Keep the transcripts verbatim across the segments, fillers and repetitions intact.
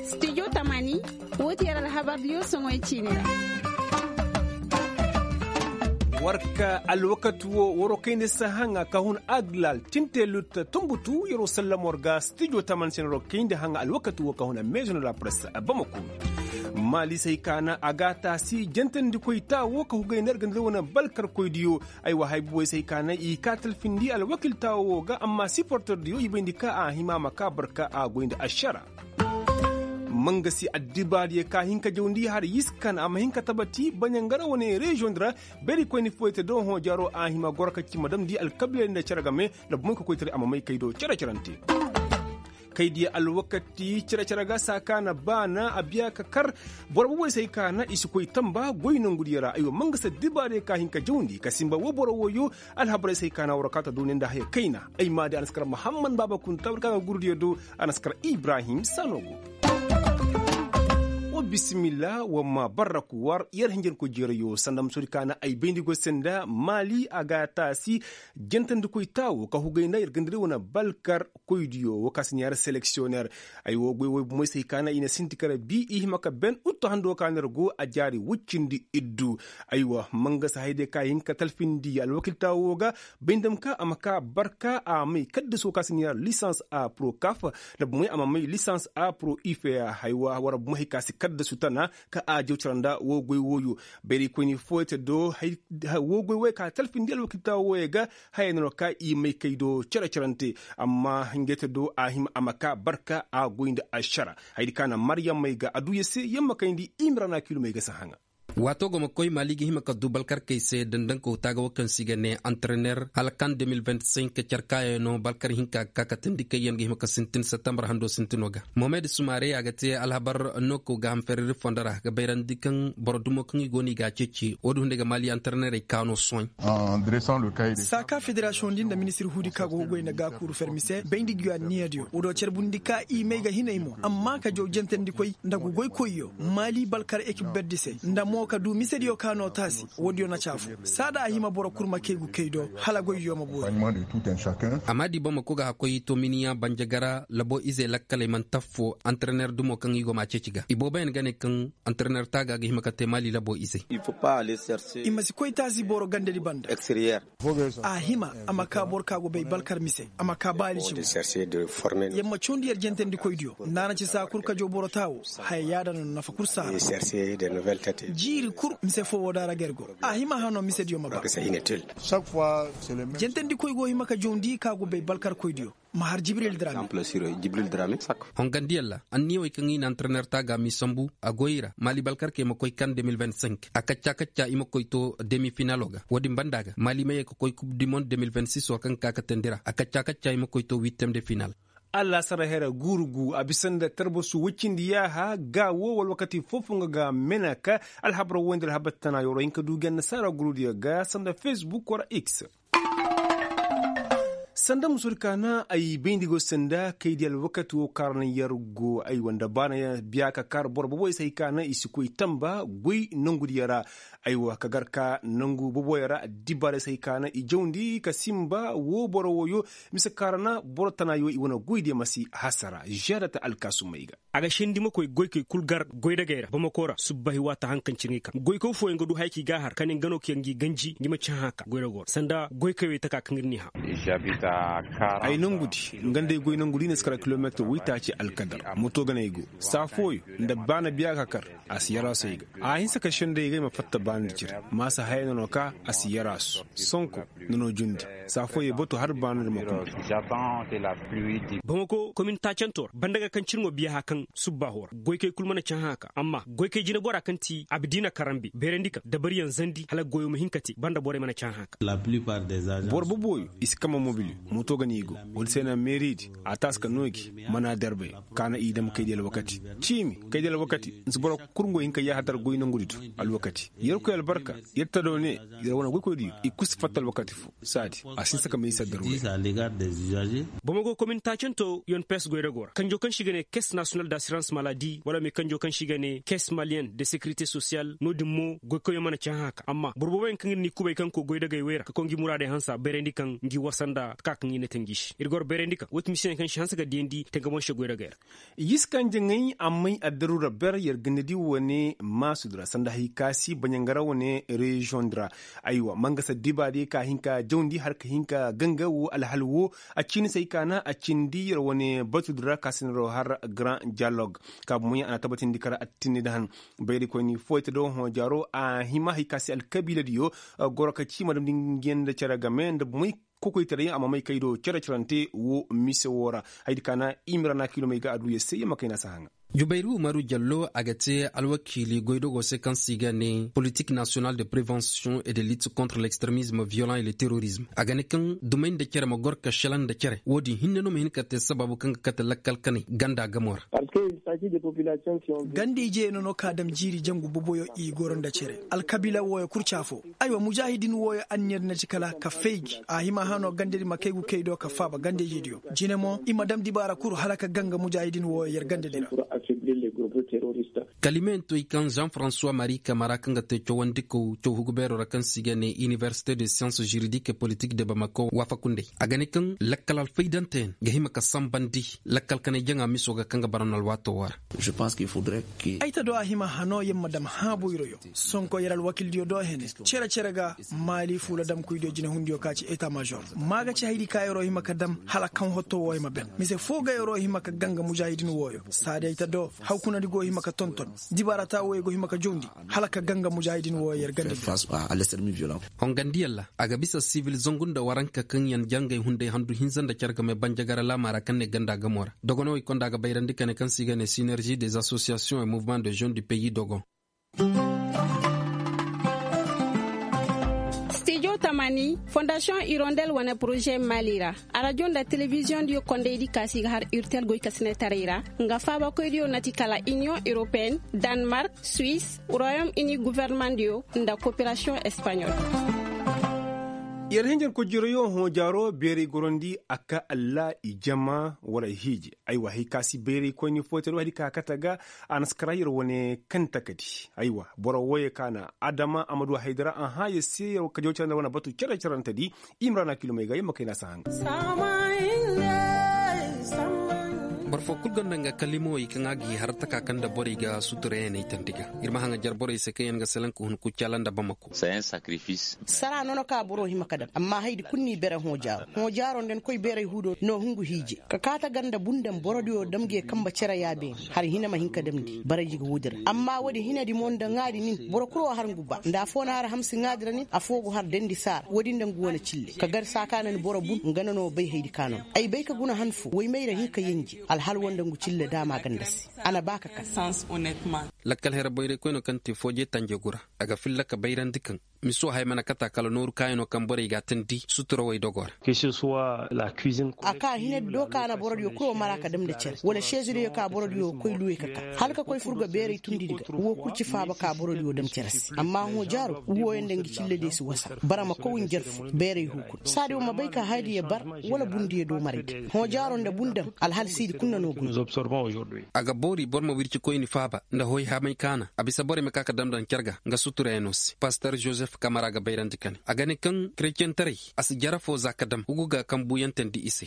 Studio tamani, wo ti yer alhabar diyo soŋoy ciini ra. War ka alwakati wo waroo kayndi sahaŋa ka hun aglal tinte lut tumbutu yeroo sallam war ga studio tamani se na waroo kayndi haŋa alwakati wo ka hun a meezo na la press bamako. Maali se hay ka na a ga a taasi jantandikoy taa wo ka hugay na yer ganda ra wane balkarkoy diyo. Aywa hay bubey se hay ka na i ka talfindi alwakiltaawo wo ga amma siportor diyo i bayndi ka a hima a ma ka barka a goy nda ašara. Mangasi addibaadiyo ka hin ka jawndi har yiskan a ma hin ka tabati baɲangara wane reziyoŋ di ra. Berikoyni foyte do hõ jaro a hima goro ka ci ma damndi alkabiilay nda cere game nda bumey ka koytaray a ma may kay do cere-cerante. Kay diya alwakati cere-cere ga saa ka na baana a biya ka kar. Boro bubey se hay ka na i si koy tamba goy nongudiyo ra aywa mangasi addibaadiyo ka hin ka jawndi ka simba woo boro wooyo. Alhabarey se hay ka na war kaa ta duuniya nda haya kayna ay maadi a na si kar muhammad baaba kunta war ka ga gurudiyo do. A na si kar ibrahim saano go. Wa bisimilla wa ma barraku war yer hinjankoy jeerayo sanda ma soodi ka na ay bayndi goy se nda maali a ga a taasi. Jantandikoy taawo ka hugay nda yer ganda ra wane balkar koydiyo woo ka si neera seleksiyoner. Ay woo goy woy bumey se hay ka na i na sinti kala bi i hima ka ben uttu hando ka na yer go a jaari woy cindi iddu. Aywa mangasa hayadiyo ka hin ka talfindi alwakiltaawo woo ga. Bay nda ma ka a ma ka barka a may kaddasu woo ka si neera lisans a pro kaf. Nda bumey a ma may lisans a pro ife. Haywa war bumey hay ka si kaddasu tana ka a jaw cara nda woo goy wooyo. Berikoyni fooyante do woo goy wooyo ka talfindi alwakiltaawo wooyo ga. Haya no ka i may kay do cere-cerante. Amma ngey te do a hima a ma ka barka a goy nda ašara. Hayadi ka na maryam may ga a duu yer se yer ma kayndi i ma ra na kiilumey ga si haŋa. Waatoo go ma koy maali ga hima ka duu balkarkey se dandankoo taaga woo kaŋ se i ga nee antrener hala kan de mil vint sink carkaayaŋo balkar hinka ga ka katandi kaŋ yaŋ ga hima ka sintin septembar hando sintinoo ga. Mohamed sumare a ga te alhabar nookoo gaaham ferriri fondo ra ga bayrandi kaŋ boro dumo kaŋ i go no i ga a ceeci woodin hunday ga maali antrenerey kaanoo sohõ. Saa ka federasiyoŋ din nda ministir huudi ka go ga goy nda gaakuuru fermi se bayndi guyanniya diyo woodoo carbundi ka i may ga hinay mo amma ka jaw jantandikoy nda goykoyyo maali balkar ekip berdi se nda mo ka du misediyo ka no taasi. Woodiyo na ci afo saa da a hima boro kul ma kay gu kay do hala goyyo ma boori. Amma di bamako ga hakkoy to miniyaŋ banjagara labo izey lakkaley manti affo antrener dumo kaŋ i go ma a ceeci ga ibooboyaŋ ga ne kaŋ antrener taaga ga hima ka te maali labo izey. I ma si koy taasi boro gandadi banda. A hima a ma ka boro ka go bay balkar mise a ma ka baali cimo. Yer ma cawndi yer jentandikoydiyo nda a na ci saa kul ka jaw boro taawo. Haya yaada no nafa kul saa ra. Jiiri kul mise foo woo da ra ga yer go a hima hano misediyo ma ba. Jentandikoy go hima ka jawndi ka go bay balkarkoydiyo. Ma har jibril drame. Hongandiyaŋ ra anniyawey kaŋ i na antrener taaga m'i sambu a goy i ra maali balkarkey ma koy kan de mil vint sink a kacca kacca i ma koy to demi finalo ga woodin banda ga maali ma ye ka koy kub di mond de mil vint sis wo kaŋ ka katandi ra a kacca kacca i ma koy to wittem de final. Allaasara hera guuru gu a bisa nda tarbasu wacindi yaaha ga wo wala wakati foofoŋ ga mena ka alhabar woy nda alhabar tana yoro hinka du ga annasaara gurudiyo ga sanda facebook wala x. Sanda musudi ka na ay bayndi go sanda kaydi alwakati wo kaŋ ra naŋ yer go aywa nda ba na biya ka kar boro boboy se hay ka naŋ i si koy tamba goy nongudiyo ra. Aywa ka gar ka nongu boboyo ra addibaarey se hay ka naŋ i jawndi ka simba wo boro woyo mise kaŋ ra na boro tanayo i wane goydiyo ma si hasara žerata alkaasumey ga. A ga sindi ma koy goykey kul gar goydagey ra bamako ra subbahi waata haŋ kaŋ cine i ka goykoy fooyaŋ ga du haya kaŋ i ga a har ka ne nga no kaŋ yaŋ ga i ganji nga i ma ci hãhã ka goydago ra sanda goykey wey taka kaŋ ir n'i hã. Ay nangudi nga nda ay goy nangudi i na si kar kilomeetir waytaaci alkadar moto ga no ay go saa fooyaŋ nda ba na biya ka kar a si yaraasu ay ga a hinsa ka sendey ga ay ma fatta ba na di cire maasa haya no no ka a si yaraasu sonko. Ni no jundi saa fooyey bato har baana di ma kuna. Bamako komin taacantoo ra banda ga kaŋ cine mo biya hã kaŋ subbaaho ra goykey kul mana cahã ka amma goykey jineboraa kaŋ ti abdiina karambe beerandi kaŋ dabariyaŋ zandi hala goyoo ma hin ka te banda borey mana cahã ka. Boro bobooyo i si kamma mobiliyo moto ga no i go wala se na meeriidi a taasi ka noogi mana darbay ka na i dam kaydi alwakati ciimi kaydi alwakati nsi boro kurŋo hin ka yaaha dar goy nongudi do alwakati yerkoy albarka. Yer tado ne yer wane goykoydiyo i kul si fatta alwakati fo saadi a si hinsa ka may saddarwey. Bamako komin taacanto yon pes goydago ra kanjo kaŋ se i ga ne caisse nationale d'assurance maladie wala me kanjo kaŋ se i ga ne caisse malienne de sécurité sociale no- din mo goykoyyaŋ mana cahã ka amma boro booboyaŋ kaŋ ir n'i kubay kaŋ go goydagey wey ra ka koy ngi muraadey hansa bayrandi kaŋ ngi warsa nda. Kaŋ i na tanji se ir goro bayrandi kaŋ woo ti misiyoŋ kaŋ si hanse ka diyandi tangamon se goy ragay ra. Yis kaŋ jaŋay ammay addaru ra ber yer ganda di wane maasud ra sanda hay ka si baɲangara wane reziyoŋ di ra. Aywa mangasa diba di ka hin ka jawndi har ka hin ka ganga woo alhal woo a ciini se ay ka na a cindi yer wane batud ra ka si na ro har grand dialogue. Ka bumoyaŋ a na tabatindi kara attinni nda han bayraykoyni fooyte do hõ jaaro a hima hay ka se alkabiila diyo goro ka ci ma damndi nga yaŋ nda cere game nda bumey kokoytaray yaŋ a ma may kay do cere-cerante woo mise woo ra. Hayadi ka na i ma ra na kiilomey ga a du yer se yer ma kay na si a haŋa. Jubayru umaru jallo a ga te alwakiili goydogo se kaŋ se i ga ne politik nasiyonal de prevensiyoŋ et de lit kontre l'extremizme viyolan et le terorizme a ga ne kaŋ dumey nda cere ma goro ka šelaŋ nda cere woo din hinne no ma hin ka te sabaabu kaŋ ga kate lakkal kanay ganda gamo ra. Ganda ije no no ka dam jiiri jangu boboyo i goro nda cere alkabiila wooyo kul ci afo. Aywa mujaahidin wooyo anniya di na ci kala ka fay gi a hima hano ganda di ma kay gu kay do ka faaba ganda ije diyo jine mo i ma dam dibaara kul hala ka ganga mujaahidin wooyo yer ganda di ra. Kalimeyantoy kaŋ jean francois marie kamara kaŋ ga te cawandikaw caw hugu beero ra kaŋ se i ga ne inibersite de siyans juridik et politik de bamako waafaku nd'ey a ga ne kaŋ lakkal alfaydanteyaŋ ga hima ka sanbandi lakkal kanay jaŋa miso ga kaŋ ga bara no alwaato woo ra. Ay ta do a hima hano yer ma dam haabu iroyo sonko yer alwakildiyo do hene cere-cere ga maali fuula damkoydiyo jinehundiyo ka ci eta mažor ma ga ci haydi ka yeroo hima ka dam hala kaŋ hotto woo ay ma ben mise foo ga yeroo hima ka ganga mujaahidin wooyo saadi ay ta do hawkunandi go hima ka tonton dibaarata wooyo go hima ka jawndi hala ka ganga mujaahidin wooyo yer ganda. Hongandiyaŋ ra a ga bisa sibil zangu nda waranka kaŋ yaŋ jangay hunday handu hinza nda care game banjagara laama ra kaŋ ne ganda gamo ra dogonowey konda ga bayrandi kane kaŋ se i ga ne sinerzi des asosiyasiyoŋ et muvement de jeune du pays dogon. Stijo tamani fondasiyoŋ irondel wane poroze mali ra arajo nda telebiziyoŋ diyo kondey di kaasi ga har urtel goy ka sine taray ra nga faabakoy diyo na ti kala iniyoŋ europeen, danmark, suwis, royom ini guverneman diyo nda koperasiyoŋ espaɲol. Yer hinjankoy jiroyo hõ jaaro beeray gorandi a ka alla i jama wala hiiji. Aywa hay ka si bayray koyni fooyte do hay di ka kate ga a na si kara yer wane kaŋ takadi. Aywa boro wooyo ka na adama a ma du haydara a hã yer se yer ka jaw care nda wane batu care carante di. Imrana kilomey ga yer ma kay na si haŋ. Boro fo kul gonda nga kalimawey kaŋ a ga i har taka kaŋ nda borey ga sutura yaŋ ay tandi ga. Ir ma haŋa jar borey se kaŋ yaŋ ga salaŋ ka hun kuccaala nda bamako. Sara no no ka boro hima ka dam amma haydi kul n'i bere hõ jaaro hõ jaaro nda ni koy beeray huudo no hungu hiije. Ka kaata ganda bundam borodiyo dam ga ye kamba cere yaabeeni har hina ma hin ka damndi barayji ga woodi ra amma woodi hinadi mo nda ŋaadi nin boro kul wo har ngu ba nda afoo na har hamsi ŋaadi ra nin afoo go har dendi saara woodi nda ngu wane cille ka gar saakaana ni boro bun nga na no bay haydi ka no no ay bay ka guna han fo woy may ra hin ka yenje alhal wo nda ngu cille daama ganda se. A na ba ka kar. Lakkal hera boyray koyno kaŋ te fooje tanje gu ra a ga filla ka bayrandi kaŋ miso haya mana kata kala nooru kaayanoo kaŋ borey g'a teendi sutura woy dogo ra. A ka hina do ka na borodiyo kul wo mara ka dam nda cere wala seezidiyo ka borodiyo koy luwey ka ka hala ka koy fur ga beeray tundidi ga woo kul ci faaba ka borodiyo dam cere se amma hõ jaaro wooyo nda ngi cillediyo si wasa bara ma kow njarfu beeray huukun saadi wo ma bay ka hayadiyo bar wala bundiyo doomaraydi hõ jaaro nda bun dam alhal siidi kul na no guna. A ga boori boro ma wirci koyni faaba nda hoy hamay kaana a bisa borey ma ka ka dam daŋ care ga nga suturayaŋo se pastor joseph kamara ga bayrandi ka ne a ga ne kaŋ kerecentaray a si jare foo za ka dam hugu ga kaŋ buuyantandi i se.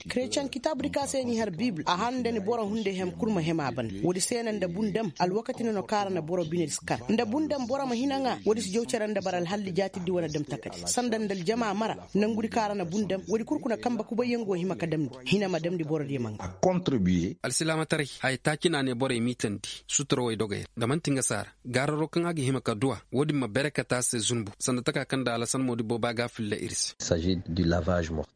Kerecaŋ kitaabudi ka se n'i har biibul a han nda ni boro hunday hem kul ma hem a banda woodi se na nda bun dam alwakati no no kaŋ a ra na boro binedi si kar nda bun dam boro ma hina ŋaa woodi si jaw cere nda bara alhalli jaatiddi wane dam takadi sanda nda aljama mara nangudi kaŋ a ra na bun dam woodi kul kuna kambe kubayyaŋ go hima ka damndi hina ma damndi borodiyo ma ŋaa. Alsilaamataray haya taaci no a ne borey miitandi sutura woy dogey ra nda man'ti nga saara gaararo kaŋ a ga hima ka duw'a woodin ma bere kate a se zunbu sanda taka kaŋ nda alasan moodi booba ga a filla ir se.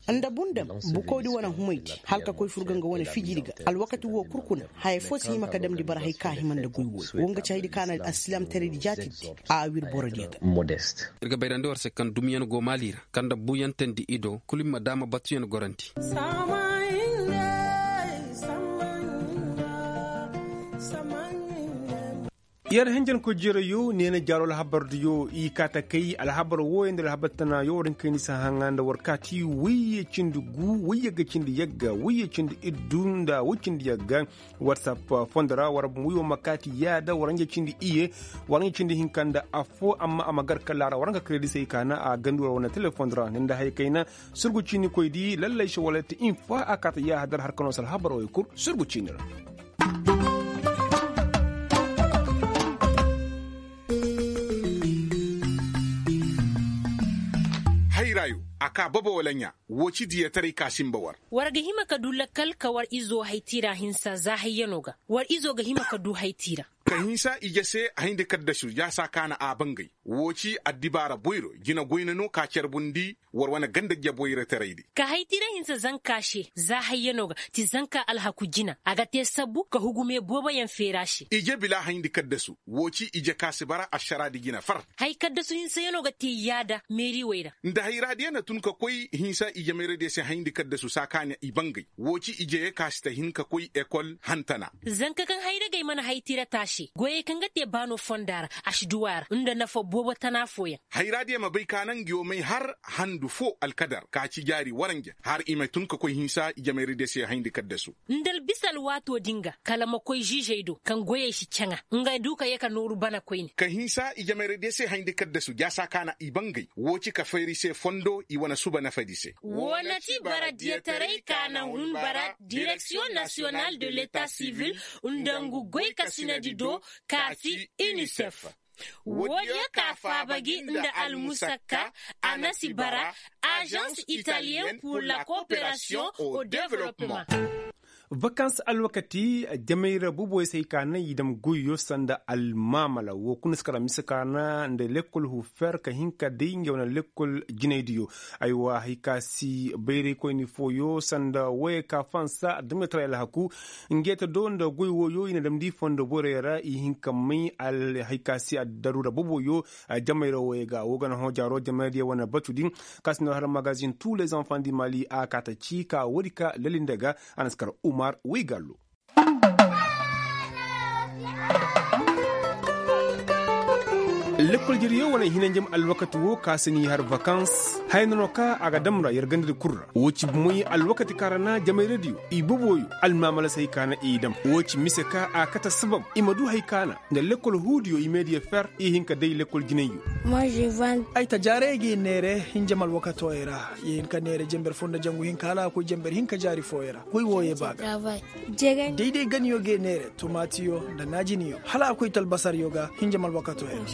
Nda bun dam bukawdi wane humaydi hala ka koy fur ga nga wane fijidi ga alwakati woo kul kuna haya foo si hima ka damndi bara hay ka hima nda goy wooyo woo nga ci haydi ka na alsilaamtaraydi jaatiddi a wir borodiyo ga. Ir ga bayrandi war se kaŋ dumiyaŋ go maali ra kaŋ nda buuyantandi i do kul ir ma daama batuyaŋ gorandi. Yer hinjankoy jereyo neena jaaro alhabardiyo i kaata kay alhabar wooyo nda alhabar tanayo war hin kayndi si haŋa nda war kaati wayye cindi gu wayye ga cindi yagga wayye cindi iddu nda way cindi yagga. Whatsapp fondo ra war ma wiyo ma kaati yaada war hinja cindi iye war hinja cindi hinka nda affo amma a ma gar kala ra war hinka kredisey kaana a gandi war wane telefondo ra ni nda haya kayna. Surgu ciinikoy di lallay se wala ti infa a kaata yaahadar har ka no si alhabar wooyo kul surgu ciini ra. Hayrayo a kaa bobo wala ɲaa. Woo ci diyataray ka sinba war. War ga hima ka du lakkal ka war izo haytiira hinsa za hayyano ga. War izo ga hima ka du haytiira. Ka hinsa ije se a hayndi kaddasu ya saa kaana a bangay. Woo ci addibaara boyro jina goyna no ka carbundi. War wane ganda jaboyrotaray di. Ka haytiira hinsa zanka se za hayyano ga ti zanka alhaku jina a ga te sabbu ka hugume booboyaŋ feera se. Ije bila hayndi kaddasu. Woo ci ije ka si bara ašaraadi jina far. Hay kaddasu hinsayaŋo ga te yaada meeriwey ra. Nda hayraadiyaŋ na tun ka koy hinsa ije meeradiyo se hayndi kaddasu saa ka ne i bangay. Woo ci ije ye ka si ta hin ka koy ekol hantana. Zanka kaŋ hayragey mana haytiira taase goyey kaŋ ga te baano fonda ra a si duw'a ra nda nafa boobo tana fooyaŋ. Hayraadiyaŋ ma bay ka naŋ ngi wo may har handu foo alkadar ka ci jaari waranja har i ma tun ka koy hinsa ije meeradiyo se hayndi kaddasu. Nda albisa alwaatoo din ga kala ma koy ziizey do kaŋ goyey si caŋa nga du ka yee ka nooru bana koyne. Ka hinsa ijemayradiyo se hayndi kaddasu jaasa kaana i bangay woo ci ka feeri se fondo i wane suba nafadi se. Woo na ti bara diyataray ka na hun bara direksiyoŋ nasiyonal de leta sivil nda ngu goykasinadi do ka ti inisef. Woodiyo ka faaba gi nda almusakka a na si bara azans italiyen pur la kooperasiyoŋ o developpeman. Vakans alwakati jamayra buboy se ay ka naŋ i dam goyyo sanda almaamala woo kuna si kara mise ka naŋ nda lekkol hufer ka hin ka day nga wane lekkol jinaydiyo. Aywa hay ka si bayraykoyni fooyo sanda woyey ka fansa adduɲɲataray alhaku. Ngeeta do nda goy wooyo i na damndi fondo borey ra i hin ka may alhaykaasi addaruura boboyo. Jamayra wooyo ga woo ga na hõ jaaro jamayra diya wane batu din. Ka si no har magazin tous les enfants du mali a kaata ci ka woodi ka lalinde ga. A na si kar umar waygallo. Lekkol jariyo wane hinanjam alwakati woo ka si n'i har vakans haya no no ka a ga dam ra yer gandadi kul ra woo ci bumey alwakati kaŋ ra na jamay rediyo i boboyo almaamala se hay ka na i dam woo ci mise ka a kate sabab i ma du hay ka na nda lekkol huudiyo i meediya fer i hin ka day lekkol jinayyo. Ay ta jaaray ga i neere hinjam alwakatooyey ra. Ye hin ka neere jenber foo nda jangu hinka hala a koy jenber hinka jaari fooyey ra. Goy wooyey ba ga day day ganiyo ga i neere tomaatiyo nda naajiniyo hala a koy talbasaryo ga hinjam alwakatooyey ra.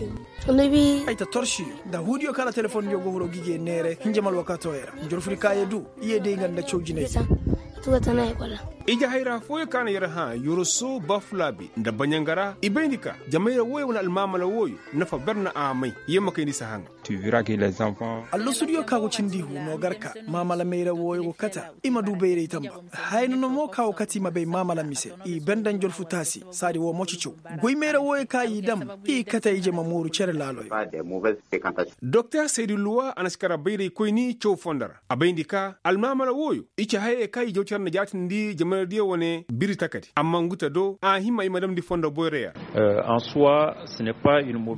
Ay ta torsiyo nda huudiyo kaŋ ra telefondiyo go hiro ga i ga i neere hinjam alwakatooyey ra. Njorfuri ka ye du i ye day nga nda caw jinay. Ije hayra fooyo ka na yer hã yoroso bafulaabi nda baɲangara i bayndi ka jamayra wooyo wane almaamala wooyo nafa ber na a may. Yer ma kayndi si haŋa. Allosudiyo ka go cindi ihu no gar ka maamala mayra wooyo go kata i ma du bayray tamba. Haya no no mo ka go kata i ma bay maamala mise i banda njorfu taasi saadi woo mo ci caw. Goy mayra wooyo ka i dam i kata ije ma mooru cere laaloyo. Doktor saydu luwa a na si kara bayraykoyni caw fondo ra a bayndi ka almaamala wooyo i ci hayey ka i jaw cere nda jaatindi jamaradiyo wane biri takadi amma ngu ta do a hima i ma damndi fondo boyra ya.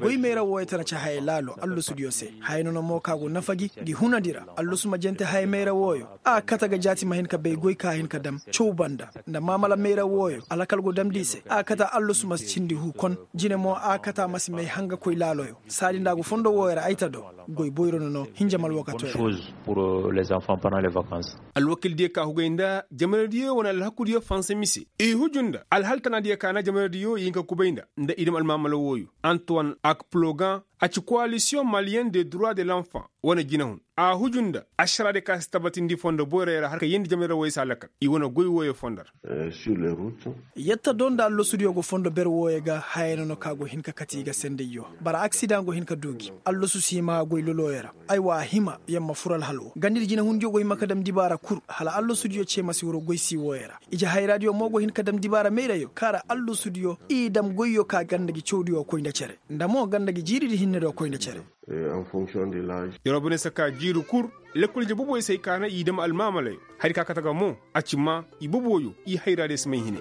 Goy mayra wooyo tana ci hayey laalo allosudiyo se. Haya no no mo ka go nafa gi ngi hunandi ra. Allosu ma jante haya mayra wooyo a kate ga jaati ma hin ka bay goy ka hin ka dam caw banda nda maamala mayra wooyo alakal go damndi i se a kate allosu ma cindi hu kon. Jine mo a kate a ma si may hangakoy laaloyo saadi nda a go fondo wooyo ra ay ta do. Goy boyro no no hinjam alwakatooyo. Alwakildiyo ka hugay nda jamaradiyo wane alhakudiyo fansa mise i huju nda alhal tanaadiyo ka na jamaradiyo i hin ka kubay nda nda i dam almaamala wooyo. Antoine akplogan a ci koalisiyoŋ maliyen de droit de l'enfant wane jinahun a huju nda ašaraadiyo ka si tabatindi fondo boyray ra har ka yeendi jamayra wooyo se alakal i wane goy wooyo fondo ra. Yetta do nda allosudiyo go fondo ber wooyo ga haya no no ka go hin ka kate i ga sendayyo. Bara aksidaŋ go hin ka du gi allosu si hima goy lolooyo ra. Aywa a hima yer ma fur alhal woo ganda ir jinahundiyo go hima ka dam dibaara kul hala allosudiyo ce ma si huru goy si wooyo ra. Ije hayraadiyo mo go hin ka dam dibaara mayrayo kaŋ ra allosudiyo i dam goyyo ka ganda gi cawdiyo koy nda cere nda mo ganda gi jiiridi hinne do koy nda cere. Yer wo bine se ka jiiri kul lekkol ije boboyo se hay ka na i dam almaamalayo hari ka kate ga mo a ci ma i boboyo i hayraadiyo si may hine.